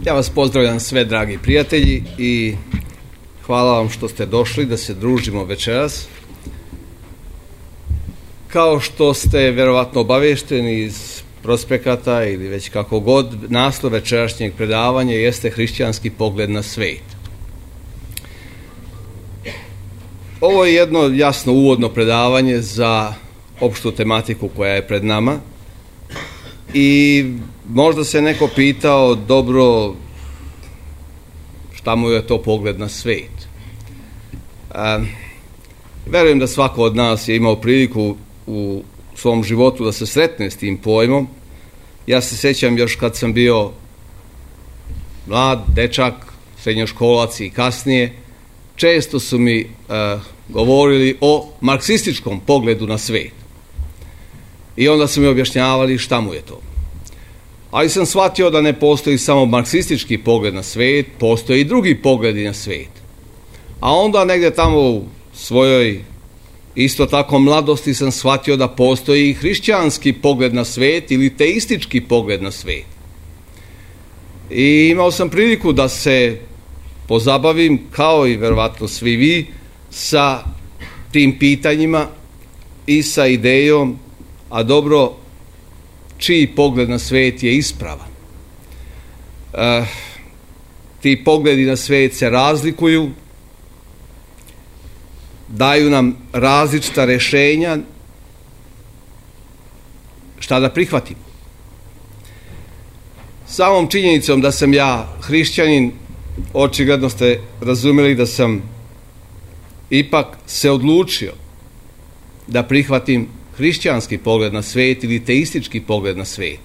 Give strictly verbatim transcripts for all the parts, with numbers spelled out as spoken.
Ja vas pozdravljam sve, dragi prijatelji, i hvala vam što ste došli da se družimo večeras. Kao što ste verovatno obavešteni iz prospekata ili već kako god, naslov večerašnjeg predavanja jeste hrišćanski pogled na svet. Ovo je jedno jasno uvodno predavanje za opštu tematiku koja je pred nama i možda se neko pitao, dobro, šta mu je to pogled na svet? E, verujem da svako od nas je imao priliku u svom životu da se sretne s tim pojmom. Ja se sjećam još kad sam bio mlad, dečak, srednjoškolac i kasnije, često su mi e, govorili o marksističkom pogledu na svet. I onda su mi objašnjavali šta mu je to. Ali sam shvatio da ne postoji samo marksistički pogled na svet, postoje i drugi pogledi na svet. A onda negdje tamo u svojoj isto tako mladosti sam shvatio da postoji i hrišćanski pogled na svet ili teistički pogled na svet. I imao sam priliku da se pozabavim, kao i verovatno svi vi, sa tim pitanjima i sa idejom, a dobro, čiji pogled na svet je ispravan. E, ti pogledi na svet se razlikuju, daju nam različita rješenja šta da prihvatimo. Samom činjenicom da sam ja hrišćanin, očigledno ste razumjeli da sam ipak se odlučio da prihvatim hrišćanski pogled na svet ili teistički pogled na svet.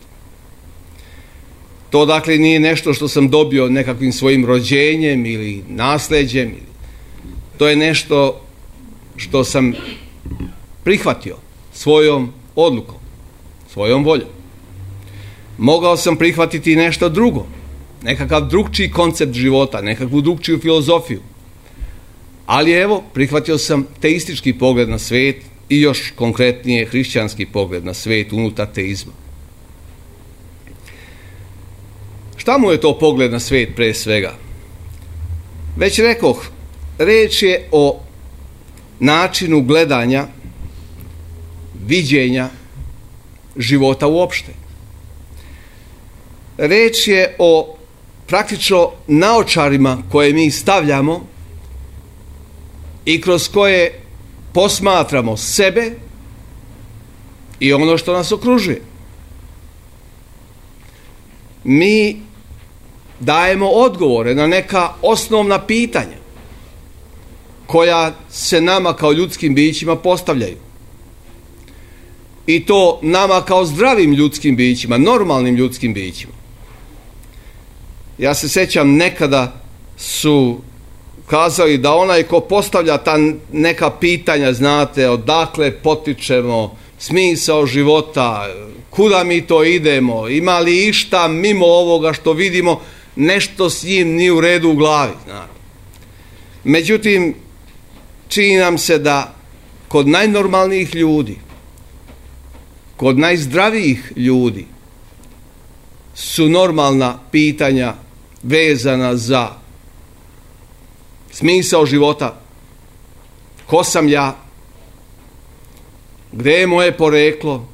To dakle nije nešto što sam dobio nekakvim svojim rođenjem ili nasljeđem. To je nešto što sam prihvatio svojom odlukom, svojom voljom. Mogao sam prihvatiti nešto drugo, nekakav drugčiji koncept života, nekakvu drugčiju filozofiju. Ali evo, prihvatio sam teistički pogled na svet i još konkretnije hrišćanski pogled na svet unutar teizma. Šta mu je to pogled na svet pre svega? Već rekoh, reč je o načinu gledanja, viđenja života uopšte. Reč je o praktično naočarima koje mi stavljamo i kroz koje posmatramo sebe i ono što nas okružuje. Mi dajemo odgovore na neka osnovna pitanja koja se nama kao ljudskim bićima postavljaju. I to nama kao zdravim ljudskim bićima, normalnim ljudskim bićima. Ja se sjećam, nekada su kazali da onaj ko postavlja ta neka pitanja, znate, odakle potičemo, smisao života, kuda mi to idemo, ima li išta mimo ovoga što vidimo, nešto s njim nije u redu u glavi, znate. Međutim, čini nam se da kod najnormalnijih ljudi, kod najzdravijih ljudi su normalna pitanja vezana za smisao života, ko sam ja, gdje je moje poreklo,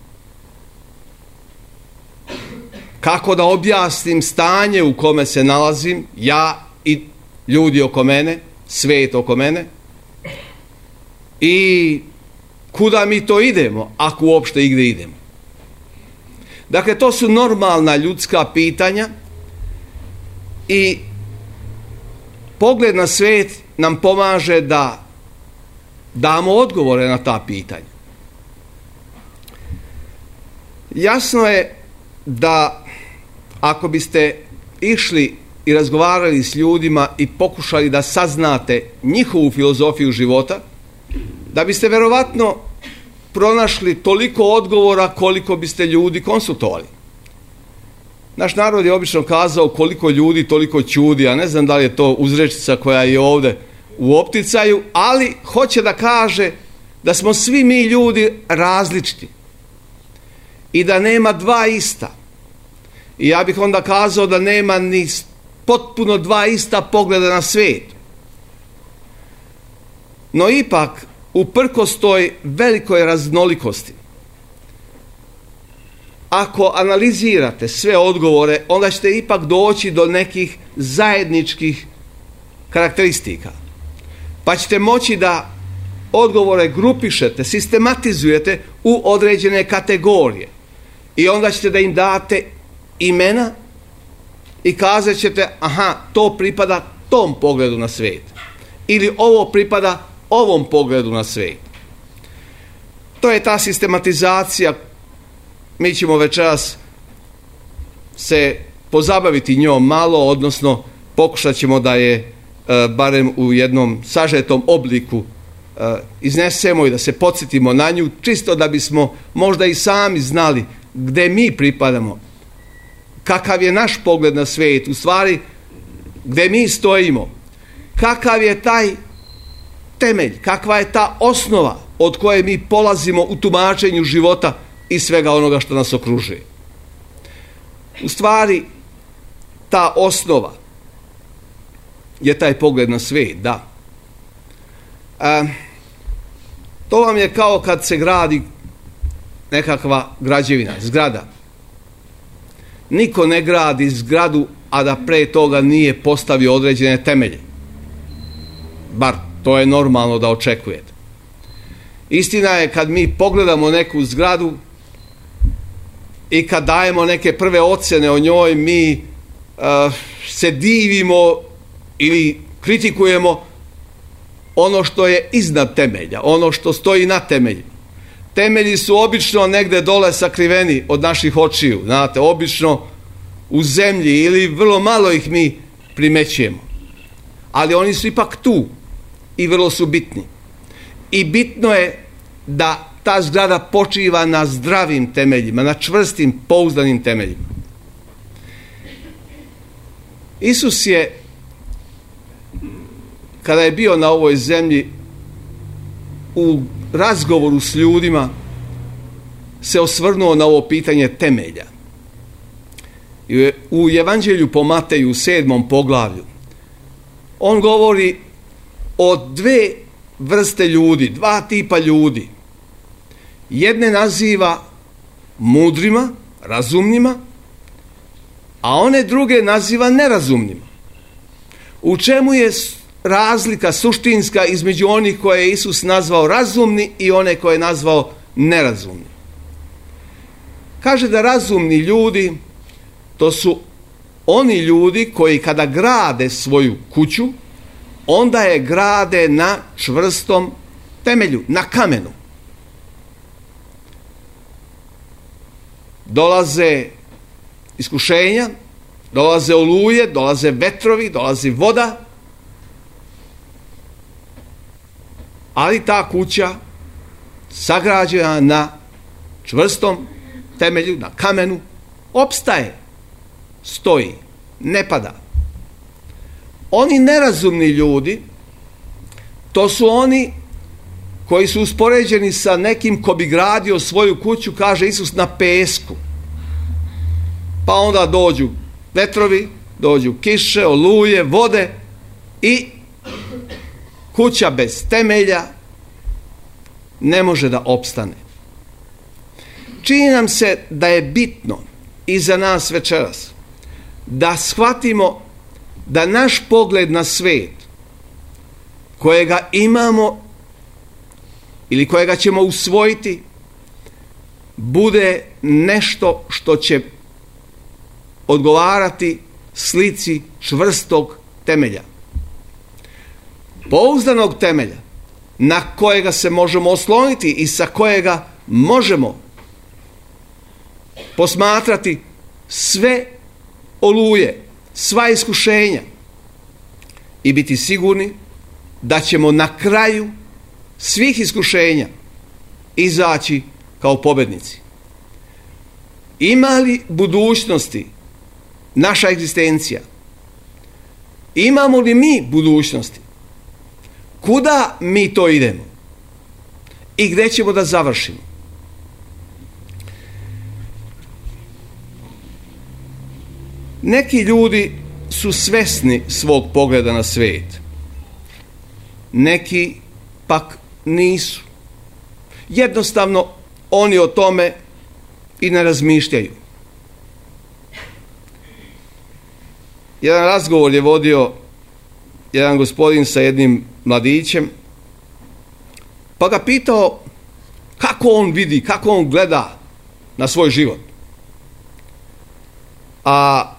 kako da objasnim stanje u kome se nalazim, ja i ljudi oko mene, svet oko mene, i kuda mi to idemo, ako uopšte igdje idemo. Dakle, to su normalna ljudska pitanja i pogled na svet nam pomaže da damo odgovore na ta pitanja. Jasno je da ako biste išli i razgovarali s ljudima i pokušali da saznate njihovu filozofiju života, da biste verovatno pronašli toliko odgovora koliko biste ljudi konsultovali. Naš narod je obično kazao koliko ljudi, toliko ćudi, a ne znam da li je to uzrečica koja je ovdje u opticaju, ali hoće da kaže da smo svi mi ljudi različiti i da nema dva ista. I ja bih onda kazao da nema ni potpuno dva ista pogleda na svijet. No ipak, uprkos toj velikoj raznolikosti, ako analizirate sve odgovore, onda ćete ipak doći do nekih zajedničkih karakteristika. Pa ćete moći da odgovore grupišete, sistematizujete u određene kategorije. I onda ćete da im date imena i kazat ćete, aha, to pripada tom pogledu na svijet. Ili ovo pripada ovom pogledu na svijet. To je ta sistematizacija. Mi ćemo večeras se pozabaviti njom malo, odnosno pokušat ćemo da je e, barem u jednom sažetom obliku e, iznesemo i da se podsjetimo na nju, čisto da bismo možda i sami znali gde mi pripadamo, kakav je naš pogled na svijet, u stvari gde mi stojimo, kakav je taj temelj, kakva je ta osnova od koje mi polazimo u tumačenju života i svega onoga što nas okružuje. U stvari, ta osnova je taj pogled na svijet, da. E, to vam je kao kad se gradi nekakva građevina, zgrada. Niko ne gradi zgradu, a da pre toga nije postavio određene temelje. Bar to je normalno da očekujete. Istina je kad mi pogledamo neku zgradu i kad dajemo neke prve ocjene o njoj, mi uh, se divimo ili kritikujemo ono što je iznad temelja, ono što stoji na temeljima. Temelji su obično negde dole sakriveni od naših očiju, znate, obično u zemlji ili vrlo malo ih mi primećujemo. Ali oni su ipak tu i vrlo su bitni. I bitno je da ta zgrada počiva na zdravim temeljima, na čvrstim, pouzdanim temeljima. Isus je, kada je bio na ovoj zemlji, u razgovoru s ljudima se osvrnuo na ovo pitanje temelja. U Evanđelju po Mateju, u sedmom poglavlju, on govori o dve vrste ljudi, dva tipa ljudi. Jedne naziva mudrima, razumnima, a one druge naziva nerazumnima. U čemu je razlika suštinska između onih koje je Isus nazvao razumni i one koje je nazvao nerazumni? Kaže da razumni ljudi, to su oni ljudi koji kada grade svoju kuću, onda je grade na čvrstom temelju, na kamenu. Dolaze iskušenja, dolaze oluje, dolaze vetrovi, dolazi voda, ali ta kuća sagrađena na čvrstom temelju, na kamenu, opstaje, stoji, ne pada. Oni nerazumni ljudi, to su oni koji su uspoređeni sa nekim ko bi gradio svoju kuću, kaže Isus, na pesku. Pa onda dođu vetrovi, dođu kiše, oluje, vode i kuća bez temelja ne može da opstane. Čini nam se da je bitno i za nas večeras da shvatimo da naš pogled na svijet, kojega imamo ili kojega ćemo usvojiti, bude nešto što će odgovarati slici čvrstog temelja. Pouzdanog temelja na kojega se možemo osloniti i sa kojega možemo posmatrati sve oluje, sva iskušenja i biti sigurni da ćemo na kraju svih iskušenja izaći kao pobednici. Ima li budućnosti naša egzistencija? Imamo li mi budućnosti? Kuda mi to idemo? I gde ćemo da završimo? Neki ljudi su svesni svog pogleda na svijet. Neki pak nisu. Jednostavno oni o tome i ne razmišljaju. Jedan razgovor je vodio jedan gospodin sa jednim mladićem, pa ga pitao kako on vidi, kako on gleda na svoj život. A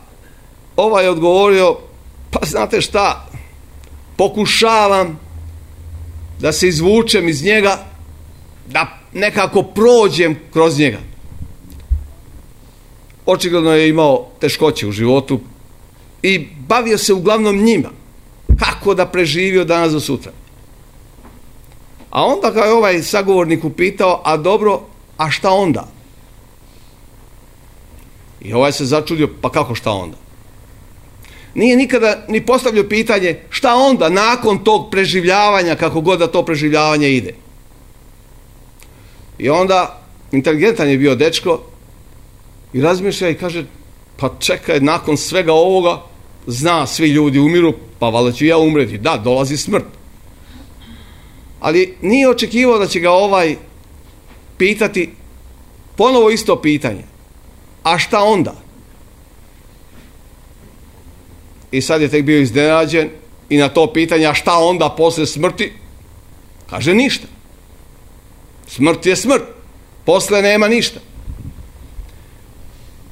ovaj je odgovorio, pa znate šta, pokušavam da se izvučem iz njega, da nekako prođem kroz njega. Očigledno je imao teškoće u životu i bavio se uglavnom njima. Kako da preživi od danas do sutra. A onda ga je ovaj sagovornik upitao, a dobro, a šta onda? I ovaj se začudio, pa kako šta onda? Nije nikada ni postavljao pitanje šta onda nakon tog preživljavanja, kako god da to preživljavanje ide. I onda inteligentan je bio dečko i razmišlja i kaže, pa čekaj, nakon svega ovoga, zna, svi ljudi umiru, pa valjda ću ja umreti. Da, dolazi smrt. Ali nije očekivao da će ga ovaj pitati ponovo isto pitanje. A šta onda? I sad je tek bio iznenađen i na to pitanje, a šta onda posle smrti? Kaže ništa. Smrt je smrt. Posle nema ništa.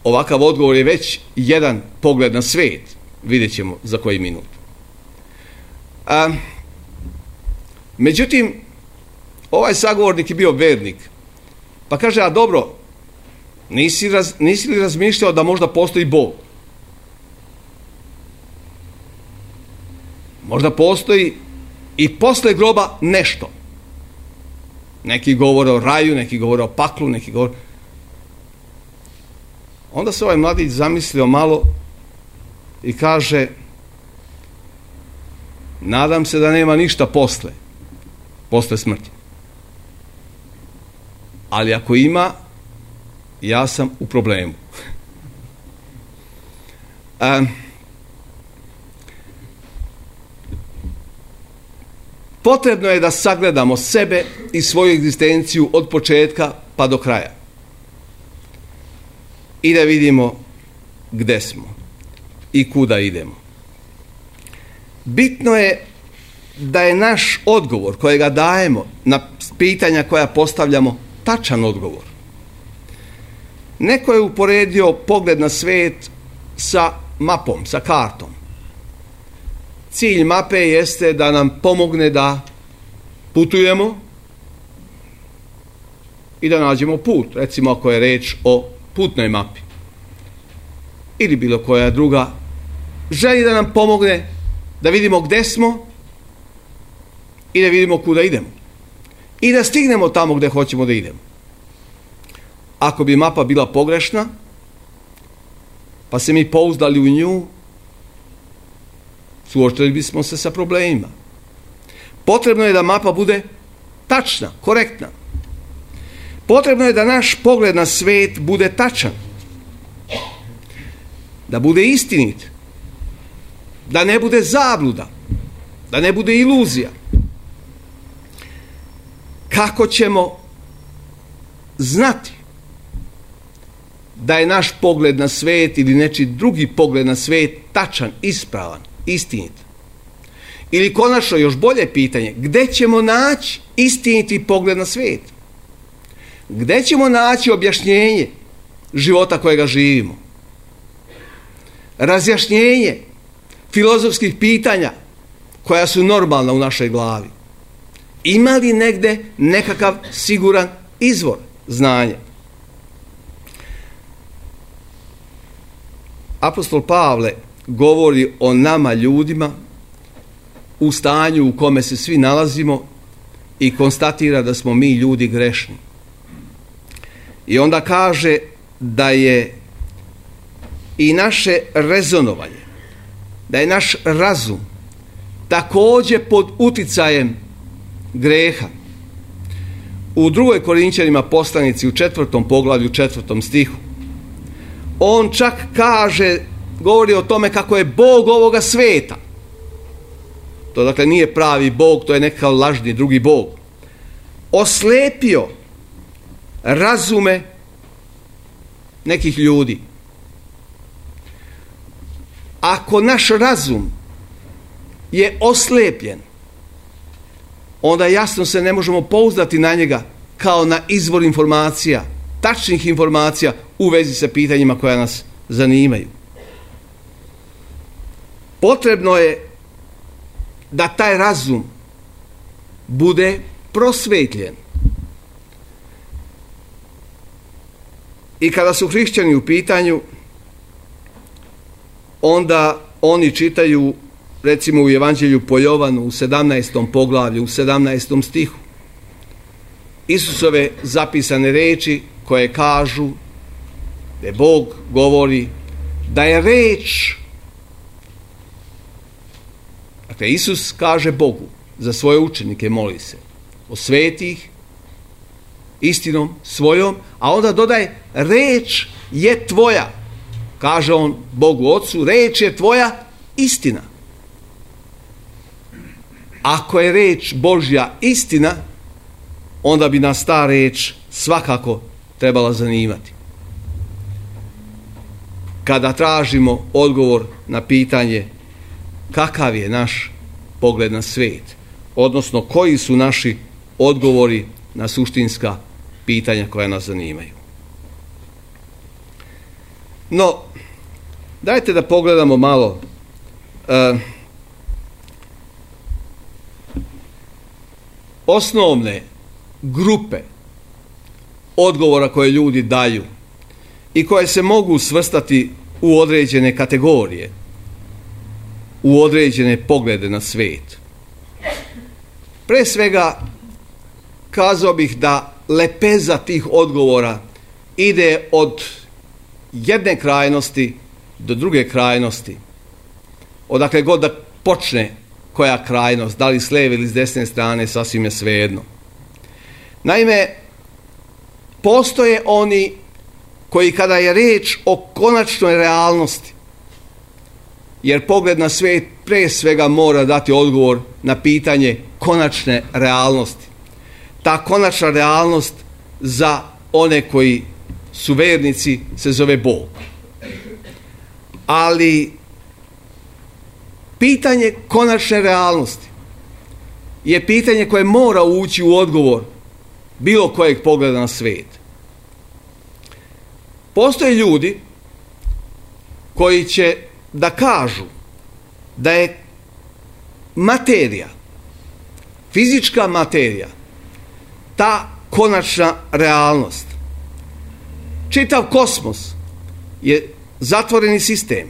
Ovakav odgovor je već jedan pogled na svijet. Vidjet ćemo za koji minut. A, međutim, ovaj sagovornik je bio vernik. Pa kaže, a dobro, nisi, raz, nisi li razmišljao da možda postoji Bog? Možda postoji i posle groba nešto. Neki govore o raju, neki govore o paklu, neki govore... Onda se ovaj mladić zamislio malo i kaže, nadam se da nema ništa posle, posle smrti. Ali ako ima, ja sam u problemu. A, potrebno je da sagledamo sebe i svoju egzistenciju od početka pa do kraja. I da vidimo gde smo i kuda idemo. Bitno je da je naš odgovor kojega dajemo na pitanja koja postavljamo tačan odgovor. Neko je uporedio pogled na svijet sa mapom, sa kartom. Cilj mape jeste da nam pomogne da putujemo i da nađemo put. Recimo ako je reč o putnoj mapi ili bilo koja druga, želi da nam pomogne da vidimo gde smo i da vidimo kuda idemo i da stignemo tamo gde hoćemo da idemo. Ako bi mapa bila pogrešna, pa se mi pouzdali u nju, suočili bismo se sa problemima. Potrebno je da mapa bude tačna, korektna. Potrebno je da naš pogled na svet bude tačan, da bude istinit, da ne bude zabluda, da ne bude iluzija. Kako ćemo znati da je naš pogled na svet ili nečiji drugi pogled na svet tačan, ispravan, istinit? Ili konačno još bolje pitanje, gde ćemo naći istiniti pogled na svet? Gde ćemo naći objašnjenje života kojega živimo? Razjašnjenje filozofskih pitanja koja su normalna u našoj glavi. Ima li negde nekakav siguran izvor znanja? Apostol Pavle govori o nama ljudima u stanju u kome se svi nalazimo i konstatira da smo mi ljudi grešni. I onda kaže da je i naše rezonovanje, da je naš razum također pod uticajem greha. U drugoj Korinćanima poslanici u četvrtom poglavlju, četvrtom stihu, on čak kaže govori o tome kako je Bog ovoga sveta. To dakle nije pravi Bog, to je nekakav lažni drugi Bog. Oslepio razume nekih ljudi. Ako naš razum je oslepljen, onda jasno se ne možemo pouzdati na njega kao na izvor informacija, tačnih informacija u vezi sa pitanjima koja nas zanimaju. Potrebno je da taj razum bude prosvetljen. I kada su hrišćani u pitanju, onda oni čitaju, recimo u Evanđelju po Jovanu u sedamnaestom poglavlju, u sedamnaestom stihu, Isusove zapisane reči koje kažu da Bog govori da je reč. Dakle, Isus kaže Bogu za svoje učenike, moli se, osveti ih istinom svojom, a onda dodaje reč je tvoja. Kaže on Bogu Otcu, reč je tvoja istina. Ako je reč Božja istina, onda bi nas ta reč svakako trebala zanimati. Kada tražimo odgovor na pitanje kakav je naš pogled na svijet, odnosno koji su naši odgovori na suštinska pitanja koja nas zanimaju. No, dajte da pogledamo malo uh, osnovne grupe odgovora koje ljudi daju i koje se mogu svrstati u određene kategorije, u određene poglede na svijet. Pre svega, kazao bih da lepeza tih odgovora ide od jedne krajnosti do druge krajnosti. Odakle god da počne koja krajnost, da li s lijeve ili s desne strane, sasvim je svejedno. Naime, postoje oni koji kada je riječ o konačnoj realnosti, jer pogled na svijet pre svega mora dati odgovor na pitanje konačne realnosti. Ta konačna realnost za one koji su vernici se zove Bog. Ali pitanje konačne realnosti je pitanje koje mora ući u odgovor bilo kojeg pogleda na svijet. Postoje ljudi koji će da kažu da je materija, fizička materija, ta konačna realnost. Čitav kosmos je zatvoreni sistem.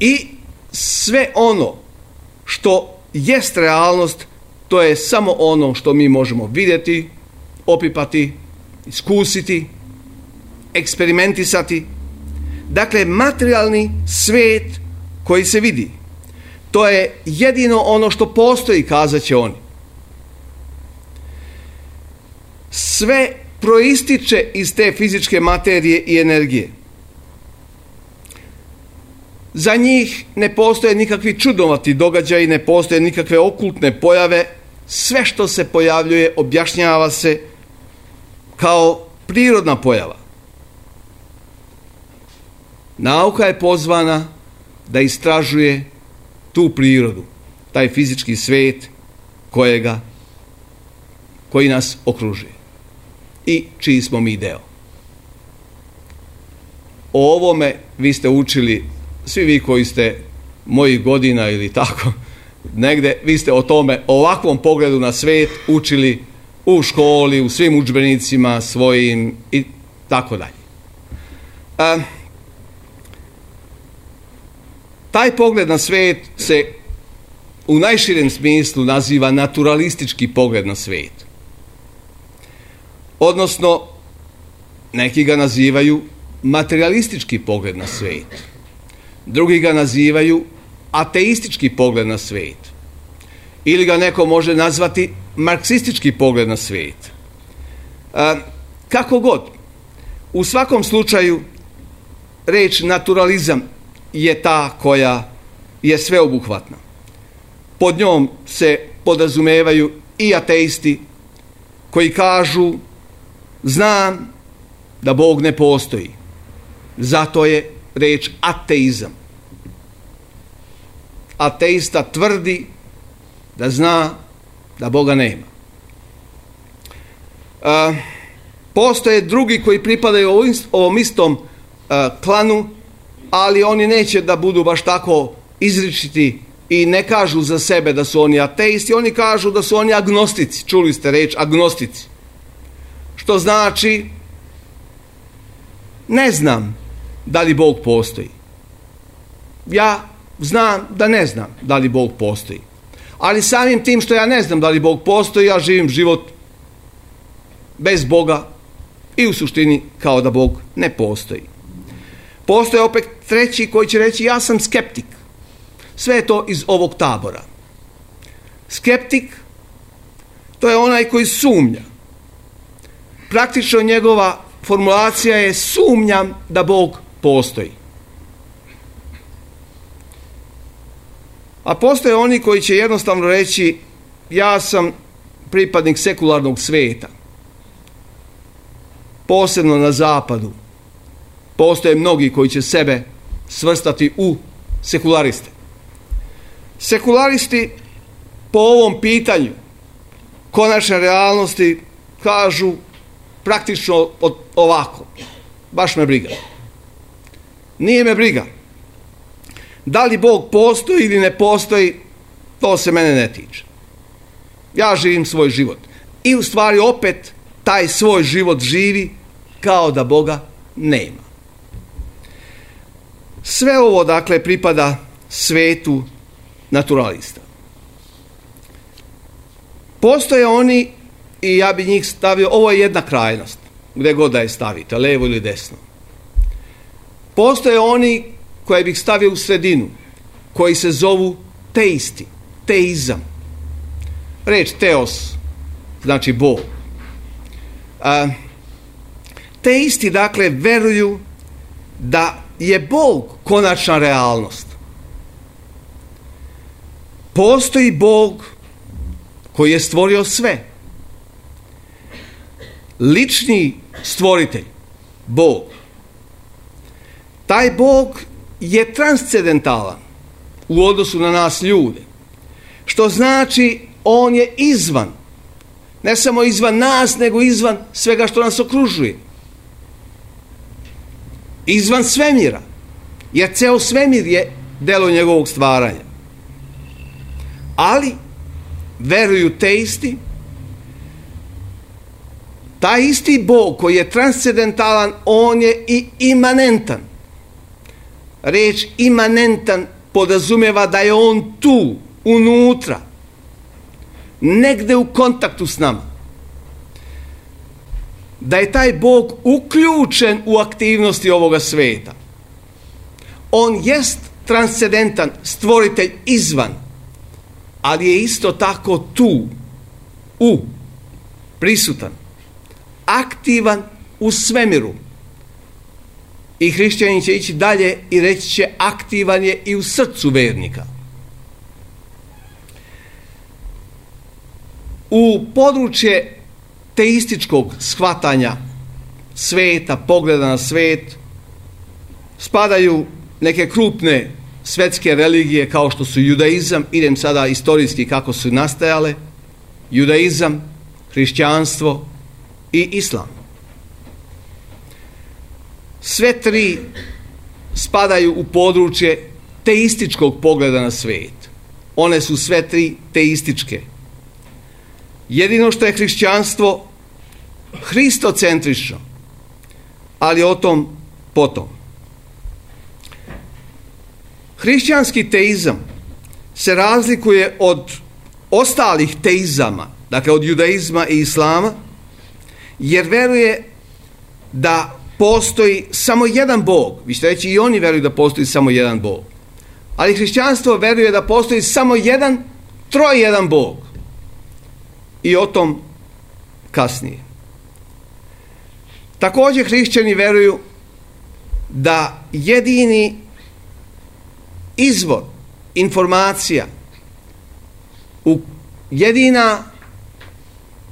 I sve ono što jest realnost, to je samo ono što mi možemo vidjeti, opipati, iskusiti, eksperimentisati. Dakle, materijalni svijet koji se vidi, to je jedino ono što postoji, kazat će oni. Sve proističe iz te fizičke materije i energije. Za njih ne postoje nikakvi čudnovati događaji, ne postoje nikakve okultne pojave. Sve što se pojavljuje objašnjava se kao prirodna pojava. Nauka je pozvana da istražuje tu prirodu, taj fizički svijet kojega, koji nas okružuje i čiji smo mi deo. O ovome vi ste učili, svi vi koji ste mojih godina ili tako, negde, vi ste o tome, o ovakvom pogledu na svijet učili u školi, u svim udžbenicima svojim i tako dalje. A, taj pogled na svijet se u najširem smislu naziva naturalistički pogled na svijet. Odnosno, neki ga nazivaju materialistički pogled na svijet. Drugi ga nazivaju ateistički pogled na svijet. Ili ga neko može nazvati marksistički pogled na svijet. A, kako god, u svakom slučaju reč naturalizam je ta koja je sveobuhvatna. Pod njom se podrazumevaju i ateisti koji kažu znam da Bog ne postoji. Zato je reč ateizam. Ateista tvrdi da zna da Boga nema. E, postoje drugi koji pripadaju ovom istom e, klanu, ali oni neće da budu baš tako izričiti i ne kažu za sebe da su oni ateisti, oni kažu da su oni agnostici. Čuli ste reč agnostici. Što znači ne znam da li Bog postoji. Ja znam da ne znam da li Bog postoji. Ali samim tim što ja ne znam da li Bog postoji, ja živim život bez Boga i u suštini kao da Bog ne postoji. Postoje opet treći koji će reći ja sam skeptik. Sve je to iz ovog tabora. Skeptik, to je onaj koji sumnja. Praktično njegova formulacija je sumnjam da Bog postoji. A postoje oni koji će jednostavno reći ja sam pripadnik sekularnog svijeta. Posebno na zapadu. Postoje mnogi koji će sebe svrstati u sekulariste. Sekularisti po ovom pitanju konačne realnosti kažu praktično ovako. Baš me briga. Nije me briga. Da li Bog postoji ili ne postoji, to se mene ne tiče. Ja živim svoj život. I u stvari opet taj svoj život živi kao da Boga nema. Sve ovo dakle pripada svetu naturalista. Postoje oni, i ja bi njih stavio, ovo je jedna krajnost, gdje god da je stavite, levo ili desno. Postoje oni koje bih stavio u sredinu, koji se zovu teisti, teizam. Reč teos znači Bog. A, teisti dakle veruju da je Bog konačna realnost. Postoji Bog koji je stvorio sve. Lični stvoritelj, Bog. Taj Bog je transcendentalan u odnosu na nas ljude. Što znači on je izvan. Ne samo izvan nas, nego izvan svega što nas okružuje. Izvan svemira. Jer ceo svemir je delo njegovog stvaranja. Ali veruju teisti, taj isti Bog koji je transcendentalan, on je i imanentan. Reč imanentan podrazumijeva da je on tu, unutra, negde u kontaktu s nama. Da je taj Bog uključen u aktivnosti ovoga sveta. On jest transcendentan, stvoritelj izvan, ali je isto tako tu, u, prisutan, aktivan u svemiru. I hrišćanin će ići dalje i reći će aktivan je i u srcu vernika. U područje teističkog shvatanja sveta, pogleda na svet, spadaju neke krupne svetske religije kao što su judaizam, idem sada istorijski kako su nastajale, judaizam, hrišćanstvo i islam. Sve tri spadaju u područje teističkog pogleda na svet. One su sve tri teističke. Jedino što je hrišćanstvo hristocentrično, ali o tom potom. Hrišćanski teizam se razlikuje od ostalih teizama, dakle od judaizma i islama, jer veruje da postoji samo jedan Bog. Vi ćete reći i oni veruju da postoji samo jedan Bog. Ali hrišćanstvo veruje da postoji samo jedan, trojedan Bog. I o tom kasnije. Također hrišćani veruju da jedini izvor informacija, u jedina,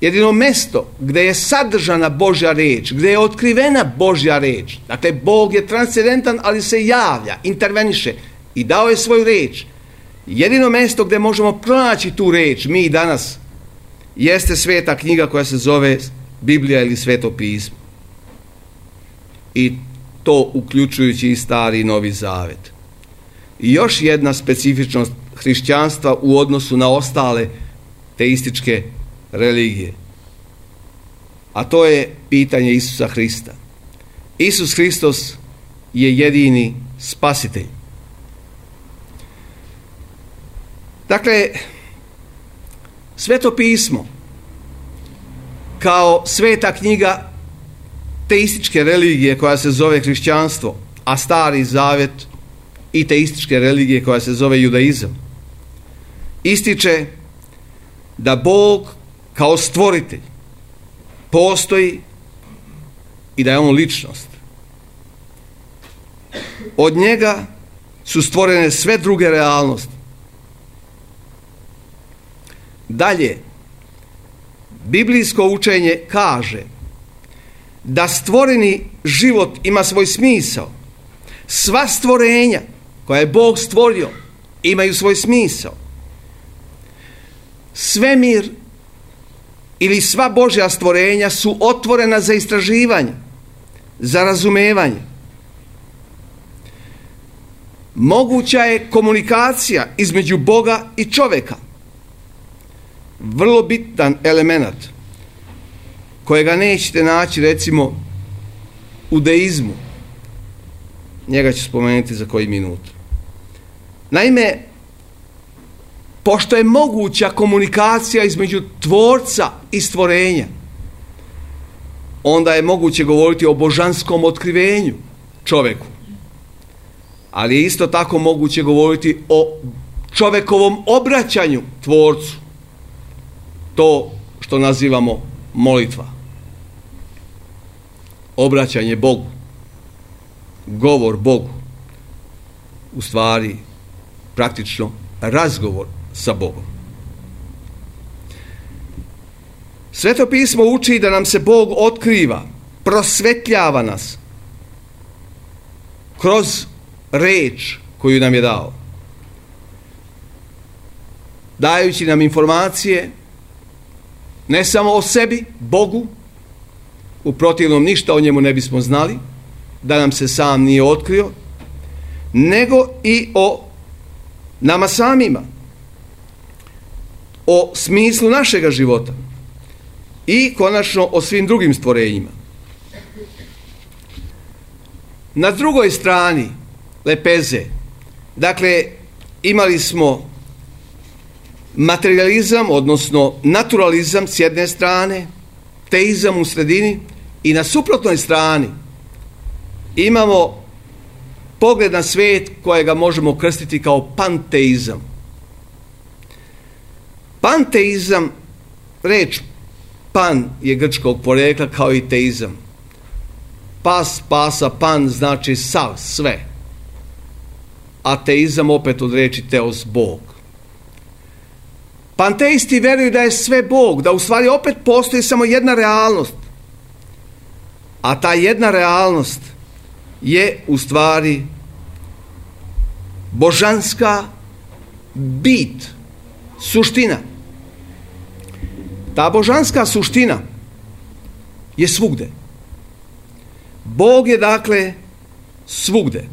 jedino mesto gdje je sadržana Božja riječ, gdje je otkrivena Božja riječ. Dakle, Bog je transcendentan, ali se javlja, interveniše i dao je svoju riječ. Jedino mjesto gdje možemo pronaći tu riječ, mi danas, jeste sveta knjiga koja se zove Biblija ili Sveto pismo. I to uključujući i Stari i Novi Zavet. I još jedna specifičnost hrišćanstva u odnosu na ostale teističke religije. A to je pitanje Isusa Hrista. Isus Hristos je jedini spasitelj. Dakle, Sveto pismo kao sveta knjiga teističke religije koja se zove hrišćanstvo, a Stari Zavet i teističke religije koja se zove judaizam, ističe da Bog kao stvoritelj postoji i da je on ličnost. Od njega su stvorene sve druge realnosti. Dalje, biblijsko učenje kaže da stvoreni život ima svoj smisao. Sva stvorenja koja je Bog stvorio imaju svoj smisao. Svemir ili sva Božja stvorenja su otvorena za istraživanje, za razumevanje. Moguća je komunikacija između Boga i čovjeka. Vrlo bitan element kojega nećete naći recimo u deizmu. Njega ću spomenuti za koji minut. Naime, pošto je moguća komunikacija između tvorca i stvorenja, onda je moguće govoriti o božanskom otkrivenju čovjeku. Ali je isto tako moguće govoriti o čovjekovom obraćanju tvorcu. To što nazivamo molitva. Obraćanje Bogu. Govor Bogu. U stvari, praktično, razgovor sa Bogom. Sveto pismo uči da nam se Bog otkriva, prosvetljava nas kroz reč koju nam je dao. Dajući nam informacije ne samo o sebi, Bogu, u protivnom ništa o njemu ne bismo znali, da nam se sam nije otkrio, nego i o nama samima, o smislu našega života i konačno o svim drugim stvorenjima. Na drugoj strani lepeze, dakle, imali smo materializam, odnosno naturalizam s jedne strane, teizam u sredini, i na suprotnoj strani imamo pogled na svijet kojega možemo krstiti kao panteizam. Panteizam, reč pan je grčkog porekla kao i teizam. Pas, pasa, pan znači sav, sve. A teizam opet od reči teos, Bog. Panteisti vjeruju da je sve Bog, da u stvari opet postoji samo jedna realnost. A ta jedna realnost je u stvari božanska bit, suština. Ta božanska suština je svugde. Bog je dakle svugde.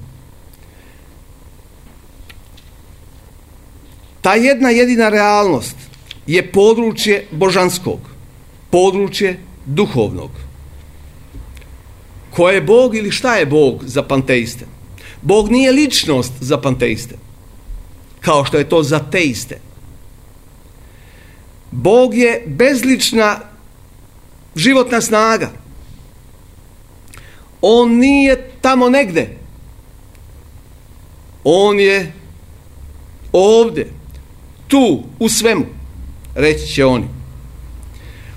Ta jedna jedina realnost je područje božanskog, područje duhovnog. Ko je Bog ili šta je Bog za panteiste? Bog nije ličnost za panteiste, kao što je to za teiste. Bog je bezlična životna snaga. On nije tamo negde. On je ovdje, tu, u svemu, reći će oni.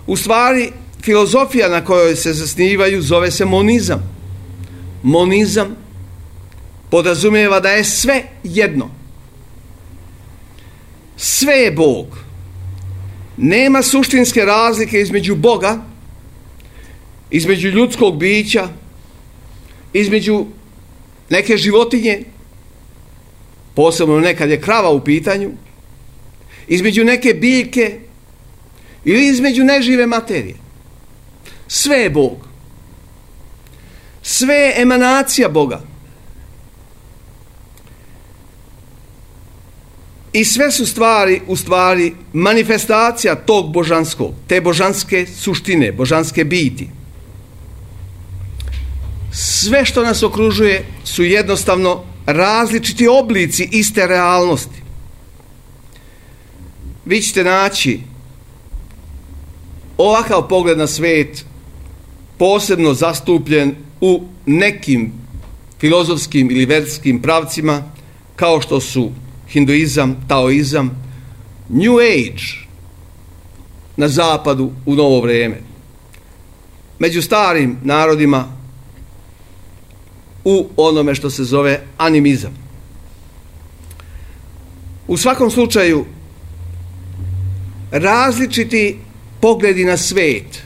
U stvari, filozofija na kojoj se zasnivaju zove se monizam. Monizam podrazumijeva da je sve jedno. Sve je Bog. Nema suštinske razlike između Boga, između ljudskog bića, između neke životinje, posebno nekad je krava u pitanju, između neke biljke ili između nežive materije. Sve je Bog. Sve je emanacija Boga. I sve su stvari, u stvari, manifestacija tog božanskog, te božanske suštine, božanske biti. Sve što nas okružuje su jednostavno različiti oblici iste realnosti. Vi ćete naći ovakav pogled na svijet posebno zastupljen u nekim filozofskim ili verskim pravcima, kao što su hinduizam, taoizam, New Age na zapadu u novo vrijeme. Među starim narodima u onome što se zove animizam. U svakom slučaju, različiti pogledi na svijet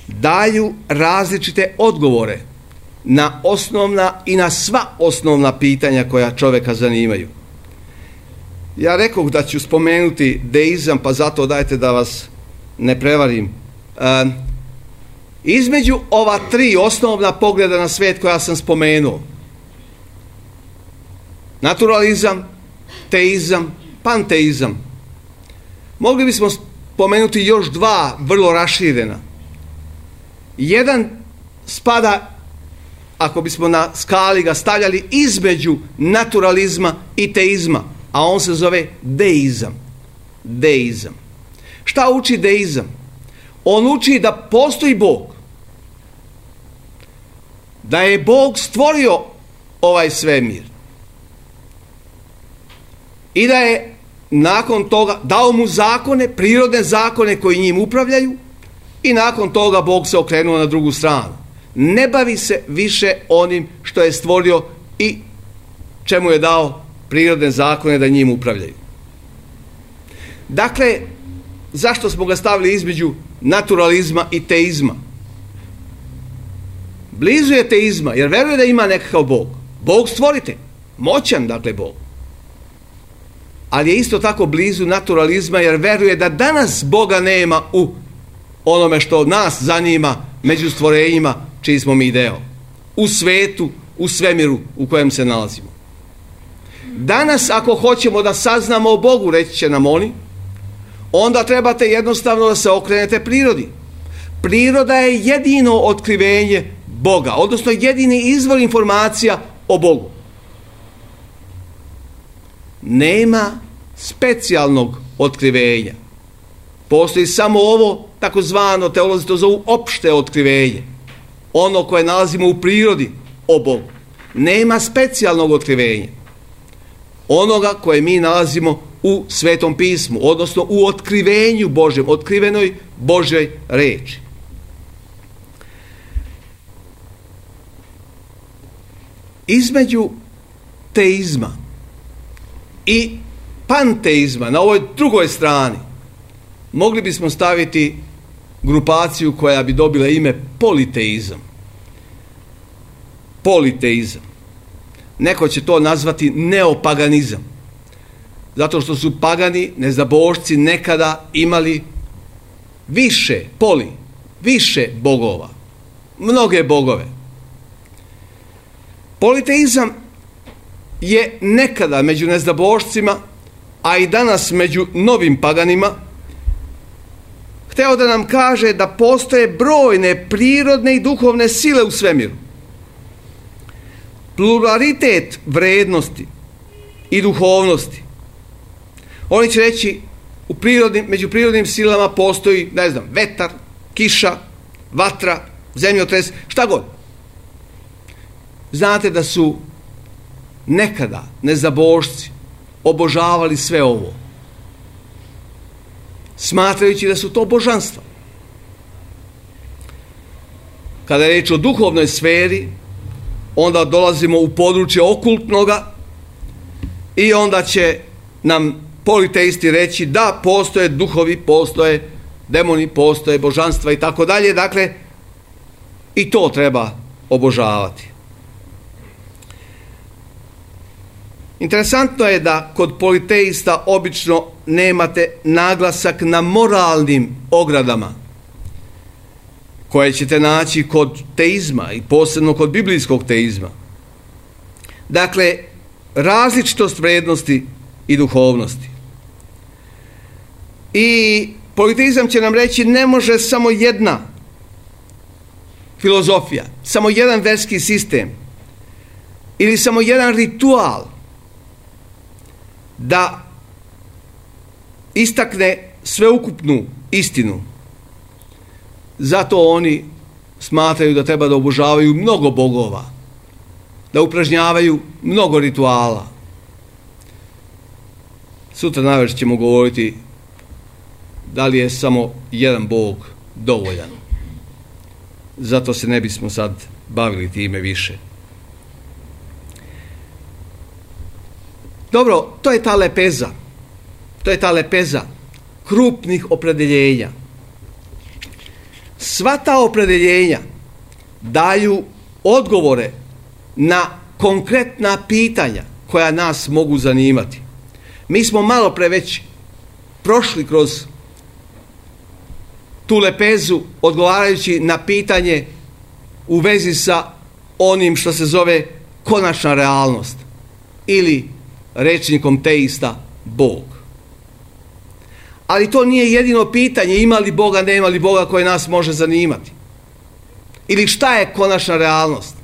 daju različite odgovore na osnovna i na sva osnovna pitanja koja čovjeka zanimaju. Ja rekoh da ću spomenuti deizam, pa zato dajte da vas ne prevarim. E, između ova tri osnovna pogleda na svijet koja sam spomenuo, naturalizam, teizam, panteizam, mogli bismo spomenuti još dva vrlo raširena. Jedan spada, ako bismo na skali ga stavljali, između naturalizma i teizma, a on se zove deizam. Deizam. Šta uči deizam? On uči da postoji Bog. Da je Bog stvorio ovaj svemir. I da je nakon toga dao mu zakone, prirodne zakone koji njim upravljaju, i nakon toga Bog se okrenuo na drugu stranu. Ne bavi se više onim što je stvorio i čemu je dao prirodne zakone da njim upravljaju. Dakle, zašto smo ga stavili između naturalizma i teizma? Blizu je teizma, jer veruje da ima nekakav Bog. Bog stvorite, moćan, dakle, Bog. Ali je isto tako blizu naturalizma, jer veruje da danas Boga nema u onome što nas zanima među stvorenjima čiji smo mi deo. U svetu, u svemiru u kojem se nalazimo. Danas, ako hoćemo da saznamo o Bogu, reći će nam oni, onda trebate jednostavno da se okrenete prirodi. Priroda je jedino otkrivenje Boga, odnosno jedini izvor informacija o Bogu. Nema specijalnog otkrivenja. Postoji samo ovo, takozvano, teolozi to zovu opšte otkrivenje. Ono koje nalazimo u prirodi o Bogu. Nema specijalnog otkrivenja. Onoga koje mi nalazimo u Svetom pismu, odnosno u otkrivenju Božjem, otkrivenoj Božjoj reči. Između teizma i panteizma, na ovoj drugoj strani, mogli bismo staviti grupaciju koja bi dobila ime politeizam. Politeizam. Neko će to nazvati neopaganizam. Zato što su pagani, neznabošci, nekada imali više, poli, više bogova. Mnoge bogove. Politeizam je nekada među neznabošcima, a i danas među novim paganima, hteo da nam kaže da postoje brojne prirodne i duhovne sile u svemiru. Pluralitet vrednosti i duhovnosti. Oni će reći, u prirodnim, među prirodnim silama postoji, ne znam, vetar, kiša, vatra, zemljotres, šta god. Znate da su nekada neznabošci obožavali sve ovo, smatrajući da su to božanstva. Kada je reč o duhovnoj sferi, onda dolazimo u područje okultnoga i onda će nam politeisti reći da postoje duhovi, postoje demoni, postoje božanstva i tako dalje. Dakle, i to treba obožavati. Interesantno je da kod politeista obično nemate naglasak na moralnim ogradama koje ćete naći kod teizma i posebno kod biblijskog teizma. Dakle, različitost vrednosti i duhovnosti. I politeizam će nam reći ne može samo jedna filozofija, samo jedan verski sistem ili samo jedan ritual da istakne sveukupnu istinu. Zato oni smatraju da treba da obožavaju mnogo bogova, da upražnjavaju mnogo rituala. Sutra navečer ćemo govoriti da li je samo jedan bog dovoljan. Zato se ne bismo sad bavili time više. Dobro, to je ta lepeza. To je ta lepeza krupnih opredeljenja. Sva ta opredeljenja daju odgovore na konkretna pitanja koja nas mogu zanimati. Mi smo malo pre već prošli kroz tu lepezu odgovarajući na pitanje u vezi sa onim što se zove konačna realnost ili rečnikom teista Bog. Ali to nije jedino pitanje ima li Boga, nema li Boga koje nas može zanimati. Ili šta je konačna realnost.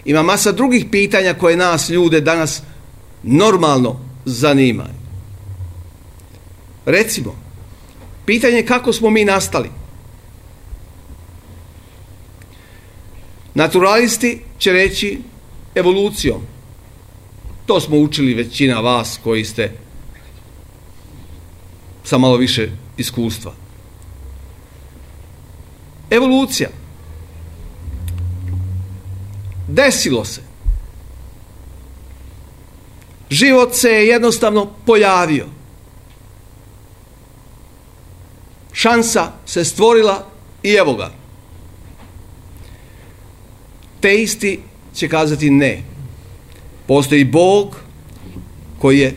Ima masa drugih pitanja koje nas ljude danas normalno zanimaju. Recimo, pitanje kako smo mi nastali. Naturalisti će reći evolucijom. To smo učili većina vas koji ste sa malo više iskustva. Evolucija. Desilo se. Život se je jednostavno pojavio. Šansa se stvorila i evo ga. Teisti će kazati ne. Postoji Bog koji je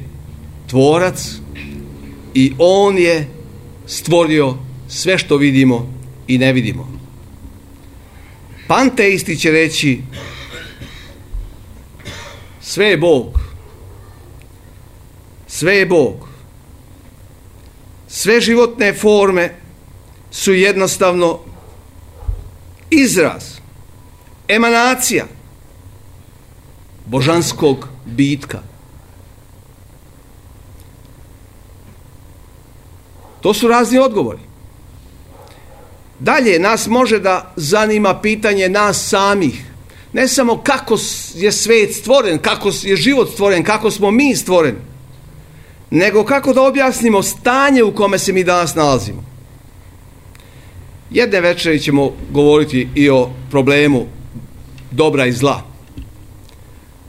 tvorac i on je stvorio sve što vidimo i ne vidimo. Panteisti će reći sve je Bog. Sve je Bog. Sve životne forme su jednostavno izraz, emanacija božanskog bitka. To su razni odgovori. Dalje nas može da zanima pitanje nas samih. Ne samo kako je svet stvoren, kako je život stvoren, kako smo mi stvoreni, nego kako da objasnimo stanje u kome se mi danas nalazimo. Jedne večeri ćemo govoriti i o problemu dobra i zla.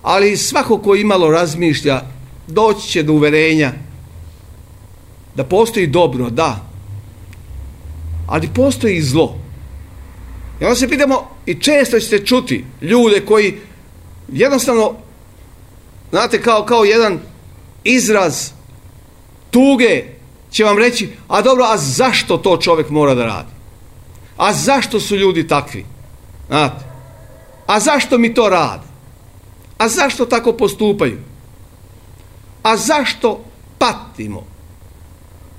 Ali svako ko imalo razmišlja doći će do uverenja da postoji dobro, da, ali postoji i zlo. I onda se pitamo, i često ćete čuti ljude koji jednostavno, znate, kao, kao jedan izraz tuge će vam reći, a dobro, a zašto to čovjek mora da radi? A zašto su ljudi takvi? Znate, a zašto mi to rade? A zašto tako postupaju? A zašto patimo?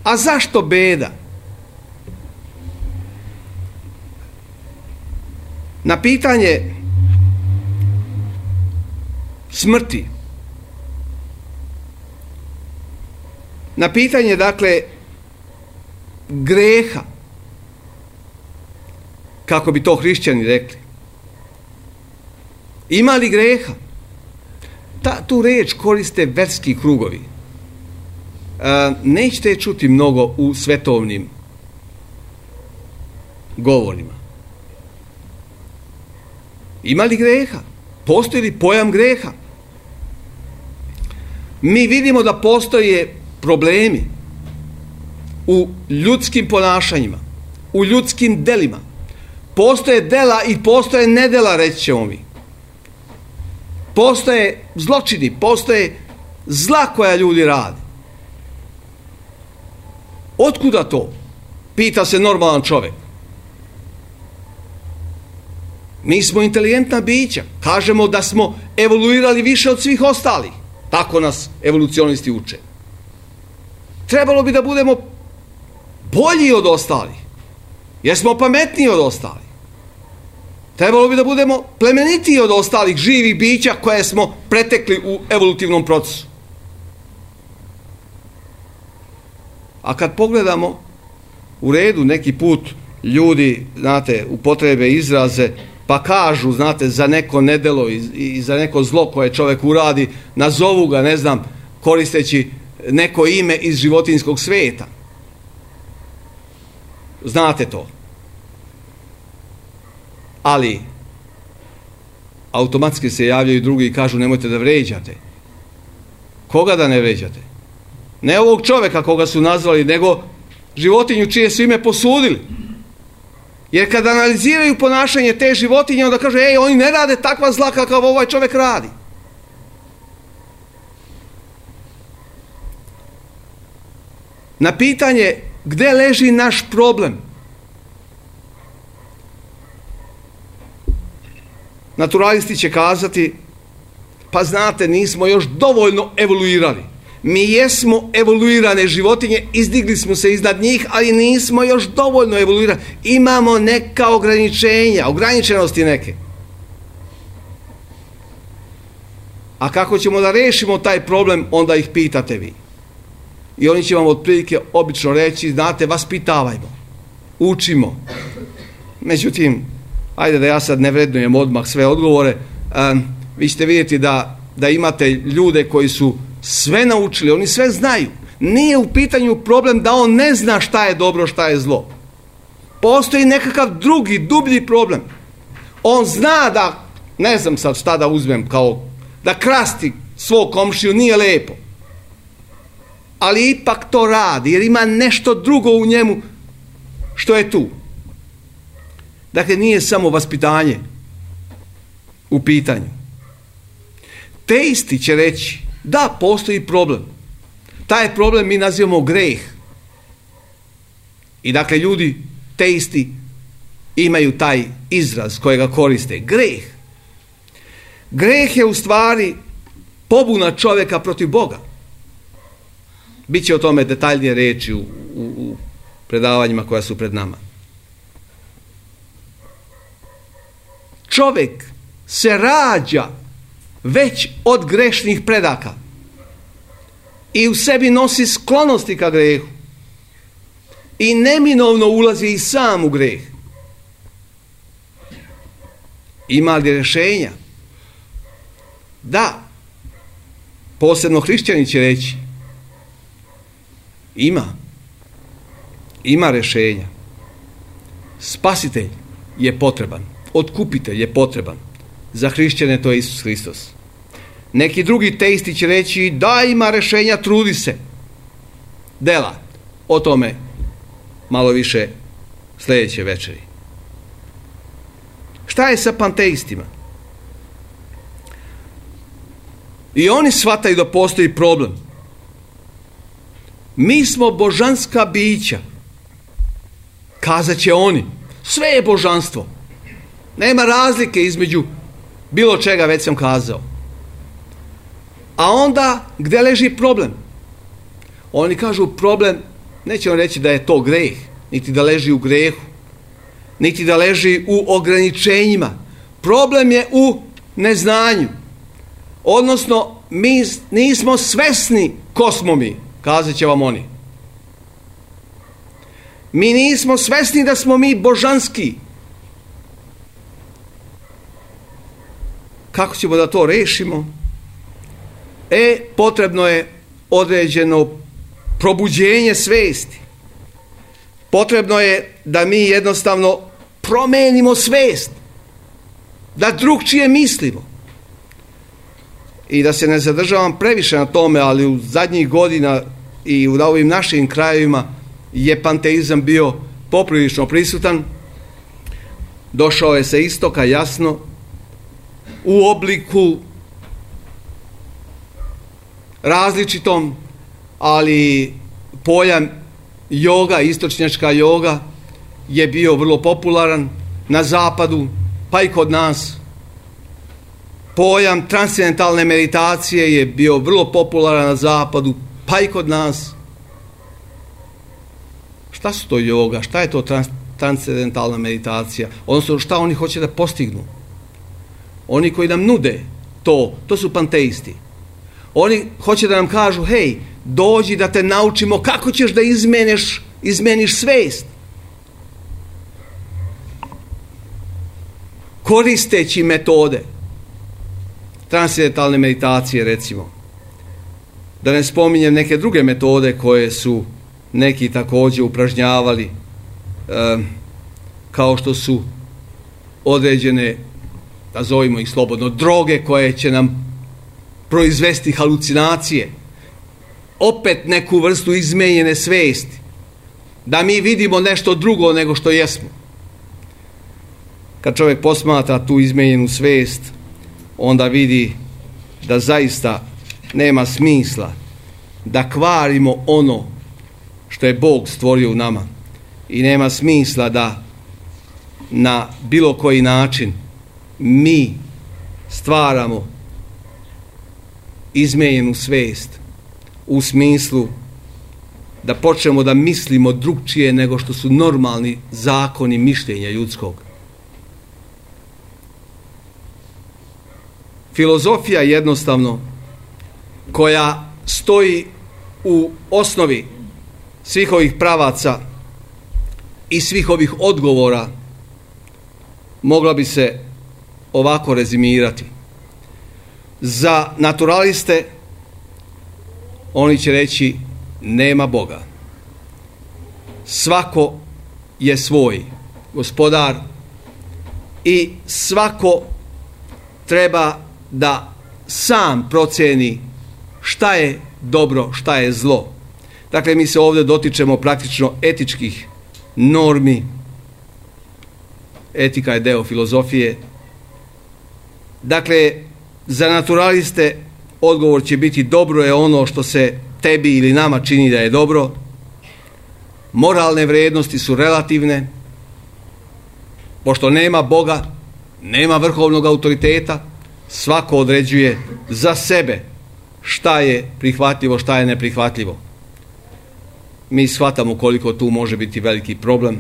A zašto beda? Na pitanje smrti, na pitanje, dakle, greha, kako bi to hrišćani rekli, ima li greha? Ta, tu reč koriste verski krugovi. E, nećete je čuti mnogo u svetovnim govorima. Ima li greha? Postoji li pojam greha? Mi vidimo da postoje problemi u ljudskim ponašanjima, u ljudskim delima. Postoje dela i postoje nedela, reći ćemo mi. Postoje zločini, postoje zla koja ljudi rade. Otkuda to? Pita se normalan čovjek. Mi smo inteligentna bića. Kažemo da smo evoluirali više od svih ostalih. Tako nas evolucionisti uče. Trebalo bi da budemo bolji od ostalih. Jer smo pametniji od ostalih. Trebalo bi da budemo plemenitiji od ostalih živih bića koje smo pretekli u evolutivnom procesu. A kad pogledamo, u redu neki put ljudi, znate, upotrebe izraze, pa kažu, znate, za neko nedelo i, i za neko zlo koje čovjek uradi, nazovu ga, ne znam, koristeći neko ime iz životinjskog svijeta. Znate to. Ali automatski se javljaju drugi i kažu nemojte da vređate. Koga da ne vređate? Ne ovog čovjeka koga su nazvali, nego životinju čije su ime posudili. Jer kad analiziraju ponašanje te životinje, onda kažu, ej, oni ne rade takva zla kakav ovaj čovjek radi. Na pitanje gdje leži naš problem, naturalisti će kazati, pa znate, nismo još dovoljno evoluirali. Mi jesmo evoluirane životinje, izdigli smo se iznad njih, ali nismo još dovoljno evoluirani. Imamo neka ograničenja, ograničenosti neke. A kako ćemo da rešimo taj problem, onda ih pitate vi. I oni će vam otprilike obično reći, znate, vaspitavajmo, učimo. Međutim, ajde da ja sad ne vrednujem odmah sve odgovore, um, vi ćete vidjeti da, da imate ljude koji su sve naučili, oni sve znaju. Nije u pitanju problem da on ne zna šta je dobro, šta je zlo. Postoji nekakav drugi, dublji problem. On zna da, ne znam sad šta da uzmem, kao da krasti svog komšiju nije lepo. Ali ipak to radi, jer ima nešto drugo u njemu što je tu. Dakle, nije samo vaspitanje u pitanju. Teisti će reći, da, postoji problem. Taj problem mi nazivamo greh. I dakle, ljudi, teisti, imaju taj izraz kojega koriste. Greh. Greh je u stvari pobuna čovjeka protiv Boga. Biće o tome detaljnije reći u, u, u predavanjima koja su pred nama. Čovjek se rađa već od grešnih predaka i u sebi nosi sklonosti ka grehu i neminovno ulazi i sam u greh. Ima li rješenja? Da. Posebno hrišćani će reći, ima. Ima rješenja. Spasitelj je potreban. Otkupitelj je potreban. Za hrišćane to je Isus Hristos. Neki drugi teisti će reći, da, ima rješenja, trudi se. Dela. O tome malo više sljedeće večeri. Šta je sa panteistima? I oni shvataju da postoji problem. Mi smo božanska bića. Kazat će oni. Sve je božanstvo. Nema razlike između bilo čega, već sam kazao. A onda, gdje leži problem? Oni kažu problem, nećemo reći da je to greh, niti da leži u grehu, niti da leži u ograničenjima. Problem je u neznanju. Odnosno, mi nismo svesni ko smo mi, kazat će vam oni. Mi nismo svesni da smo mi božanski. Kako ćemo da to rešimo? E, potrebno je određeno probuđenje svesti. Potrebno je da mi jednostavno promenimo svest. Da drugčije mislimo. i da se ne zadržavam previše na tome, ali u zadnjih godina i u ovim našim krajevima je panteizam bio poprilično prisutan. Došao je sa istoka, jasno, u obliku različitom, ali pojam joga, istočnjačka joga je bio vrlo popularan na zapadu, pa i kod nas. Pojam transcendentalne meditacije je bio vrlo popularan na zapadu, pa i kod nas. Šta su to joga? Šta je to trans, transcendentalna meditacija? Odnosno, šta oni hoće da postignu? Oni koji nam nude to, to su panteisti. Oni hoće da nam kažu, hej, dođi da te naučimo kako ćeš da izmeniš, izmeniš svest. Koristeći metode transcendentalne meditacije, recimo. Da ne spominjem neke druge metode koje su neki također upražnjavali, e, kao što su određene, nazovimo ih slobodno, droge koje će nam proizvesti halucinacije, opet neku vrstu izmenjene svesti, da mi vidimo nešto drugo nego što jesmo. Kad čovjek posmatra tu izmenjenu svest, onda vidi da zaista nema smisla da kvarimo ono što je Bog stvorio u nama i nema smisla da na bilo koji način mi stvaramo izmenjenu svest u smislu da počnemo da mislimo drugčije nego što su normalni zakoni mišljenja ljudskog. Filozofija jednostavno koja stoji u osnovi svih ovih pravaca i svih ovih odgovora mogla bi se ovako rezimirati. Za naturaliste oni će reći nema Boga. Svako je svoj gospodar i svako treba da sam proceni šta je dobro, šta je zlo. Dakle, mi se ovdje dotičemo praktično etičkih normi. Etika je deo filozofije. Dakle, za naturaliste odgovor će biti dobro je ono što se tebi ili nama čini da je dobro. Moralne vrijednosti su relativne. Pošto nema Boga, nema vrhovnog autoriteta, svako određuje za sebe šta je prihvatljivo, šta je neprihvatljivo. Mi shvatamo koliko tu može biti veliki problem,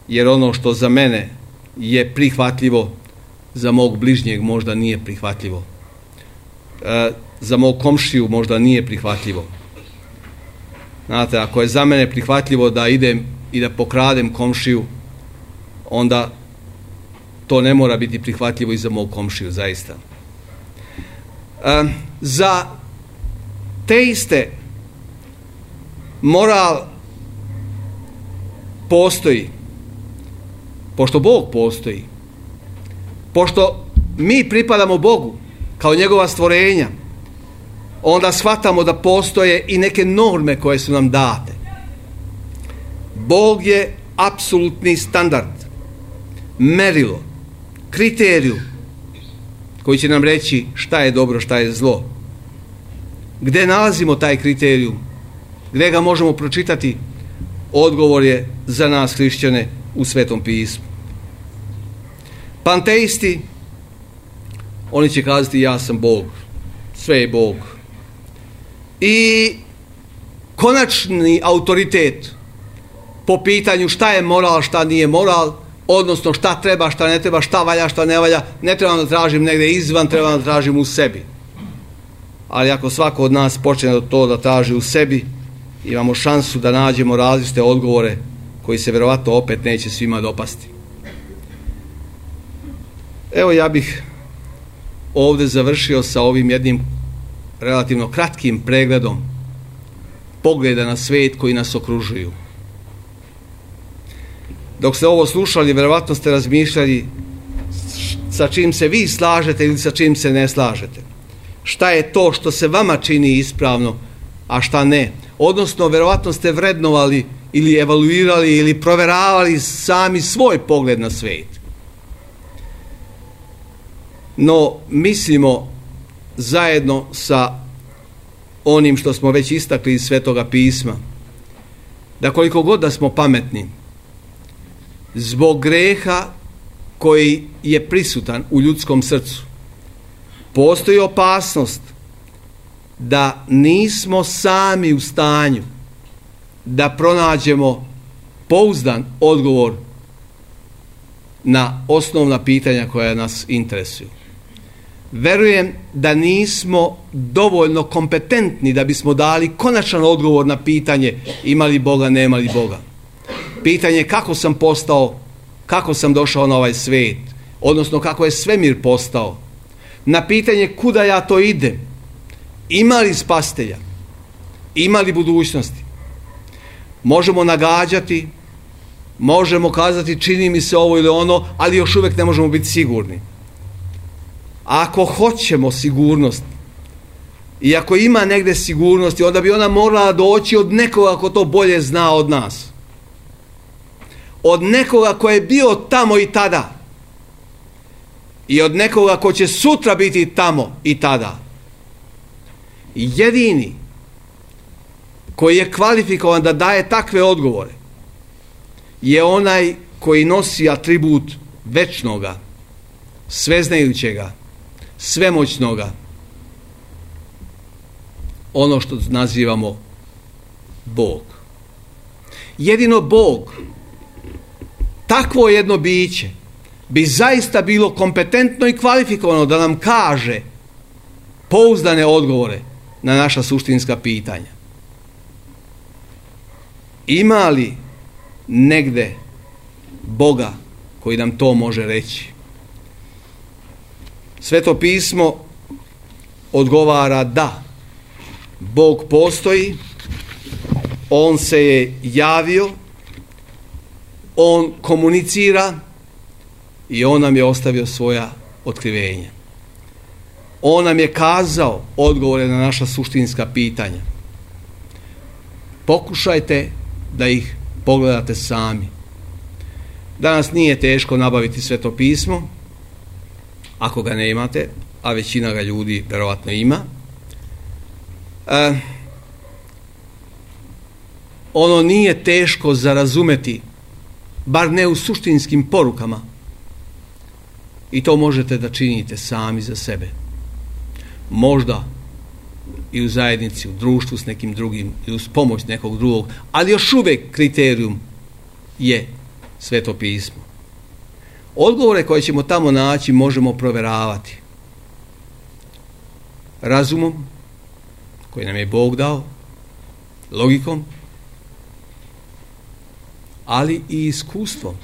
jer ono što za mene je prihvatljivo, za mog bližnjeg možda nije prihvatljivo. E, za mog komšiju možda nije prihvatljivo. Znate, ako je za mene prihvatljivo da idem i da pokradem komšiju, onda to ne mora biti prihvatljivo i za mog komšiju, zaista. E, za teiste moral postoji, pošto Bog postoji, pošto mi pripadamo Bogu kao njegova stvorenja, onda shvatamo da postoje i neke norme koje su nam date. Bog je apsolutni standard, merilo, kriterijum koji će nam reći šta je dobro, šta je zlo. Gde nalazimo taj kriterijum? Gde ga možemo pročitati? Odgovor je za nas hrišćane u Svetom pismu. Panteisti, oni će kazati ja sam Bog, sve je Bog. I konačni autoritet po pitanju šta je moral, šta nije moral, odnosno šta treba, šta ne treba, šta valja, šta ne valja, ne trebam da tražim negdje izvan, trebam da tražim u sebi. Ali ako svako od nas počne to da traži u sebi, imamo šansu da nađemo različite odgovore koji se vjerovatno opet neće svima dopasti. Evo, ja bih ovdje završio sa ovim jednim relativno kratkim pregledom pogleda na svijet koji nas okružuju. Dok ste ovo slušali, vjerovatno ste razmišljali sa čim se vi slažete ili sa čim se ne slažete. šta je to što se vama čini ispravno, a šta ne. Odnosno, verovatno ste vrednovali ili evaluirali ili proveravali sami svoj pogled na svijet. No, mislimo zajedno sa onim što smo već istakli iz Svetoga pisma, da koliko god da smo pametni, zbog greha koji je prisutan u ljudskom srcu, postoji opasnost da nismo sami u stanju da pronađemo pouzdan odgovor na osnovna pitanja koja nas interesuju. Verujem da nismo dovoljno kompetentni da bismo dali konačan odgovor na pitanje ima li Boga, nema li Boga. Pitanje kako sam postao, kako sam došao na ovaj svijet, odnosno kako je svemir postao. Na pitanje kuda ja to idem, ima li spastelja, ima li budućnosti. Možemo nagađati, možemo kazati čini mi se ovo ili ono, ali još uvijek ne možemo biti sigurni. Ako hoćemo sigurnost i ako ima negdje sigurnosti, onda bi ona morala doći od nekoga ko to bolje zna od nas. Od nekoga ko je bio tamo i tada. I od nekoga ko će sutra biti tamo i tada. Jedini koji je kvalifikovan da daje takve odgovore je onaj koji nosi atribut večnoga, sveznajućega, svemoćnoga, ono što nazivamo Bog. Jedino Bog, takvo jedno biće, bi zaista bilo kompetentno i kvalifikovano da nam kaže pouzdane odgovore na naša suštinska pitanja. Ima li negde Boga koji nam to može reći? Sveto pismo odgovara da. Bog postoji, on se je javio, on komunicira i on nam je ostavio svoja otkrivenja. On nam je kazao odgovore na naša suštinska pitanja. Pokušajte da ih pogledate sami. Danas nije teško nabaviti Sveto pismo, ako ga ne imate, a većina ga ljudi verovatno ima. E, ono nije teško za razumeti, bar ne u suštinskim porukama. I to možete da činite sami za sebe. Možda i u zajednici, u društvu s nekim drugim i uz pomoć nekog drugog, ali još uvijek kriterijum je Sveto pismo. Odgovore koje ćemo tamo naći možemo proveravati razumom koji nam je Bog dao, logikom, ali i iskustvom.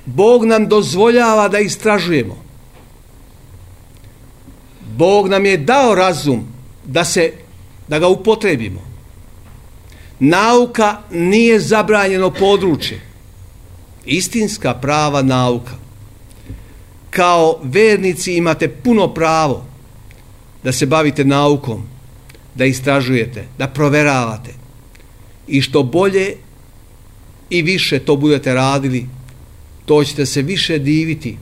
Bog nam dozvoljava da istražujemo. Bog nam je dao razum da se, da ga upotrebimo. Nauka nije zabranjeno područje. Istinska prava nauka. Kao vernici imate puno pravo da se bavite naukom, da istražujete, da proveravate. I što bolje i više to budete radili, to ćete se više diviti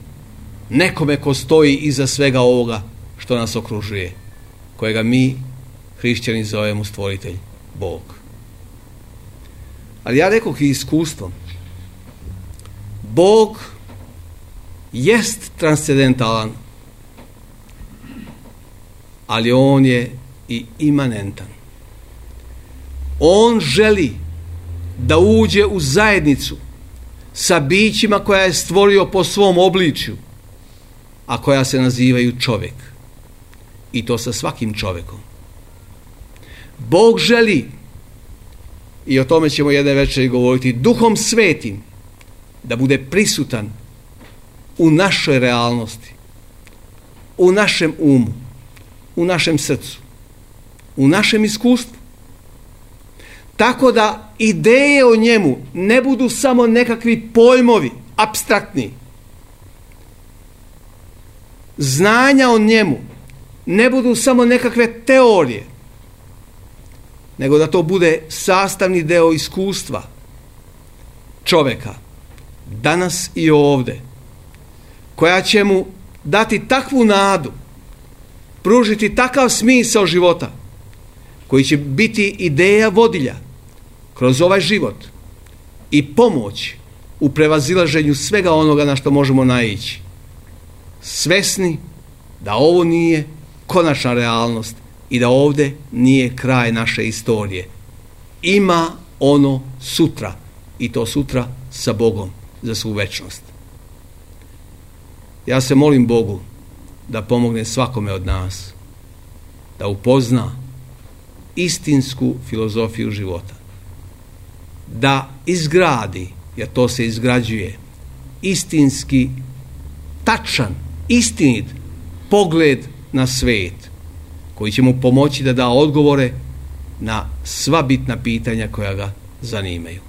nekome ko stoji iza svega ovoga što nas okružuje, kojega mi, hrišćani, zovemo stvoritelj, Bog. Ali ja rekoh i iskustvom. Bog jest transcendentalan, ali on je i imanentan. On želi da uđe u zajednicu sa bićima koja je stvorio po svom obličju, a koja se nazivaju čovjek. I to sa svakim čovjekom. Bog želi, i o tome ćemo jedne večeri govoriti, Duhom Svetim da bude prisutan u našoj realnosti, u našem umu, u našem srcu, u našem iskustvu. Tako da ideje o njemu ne budu samo nekakvi pojmovi, apstraktni, znanja o njemu ne budu samo nekakve teorije, nego da to bude sastavni deo iskustva čovjeka danas i ovdje, koja će mu dati takvu nadu, pružiti takav smisao života, koji će biti ideja vodilja kroz ovaj život i pomoć u prevazilaženju svega onoga na što možemo naići, svesni da ovo nije konačna realnost i da ovdje nije kraj naše istorije. Ima ono sutra, i to sutra sa Bogom za svu večnost. Ja se molim Bogu da pomogne svakome od nas da upozna istinsku filozofiju života, da izgradi, jer to se izgrađuje, istinski, tačan, istinit pogled na svijet, koji će mu pomoći da da odgovore na sva bitna pitanja koja ga zanimaju.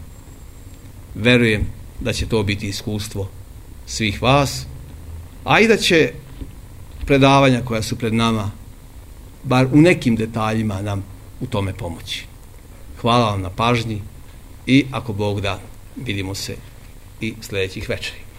Verujem da će to biti iskustvo svih vas, a i da će predavanja koja su pred nama bar u nekim detaljima nam u tome pomoći. Hvala vam na pažnji i ako Bog da, vidimo se i sljedećih večeri.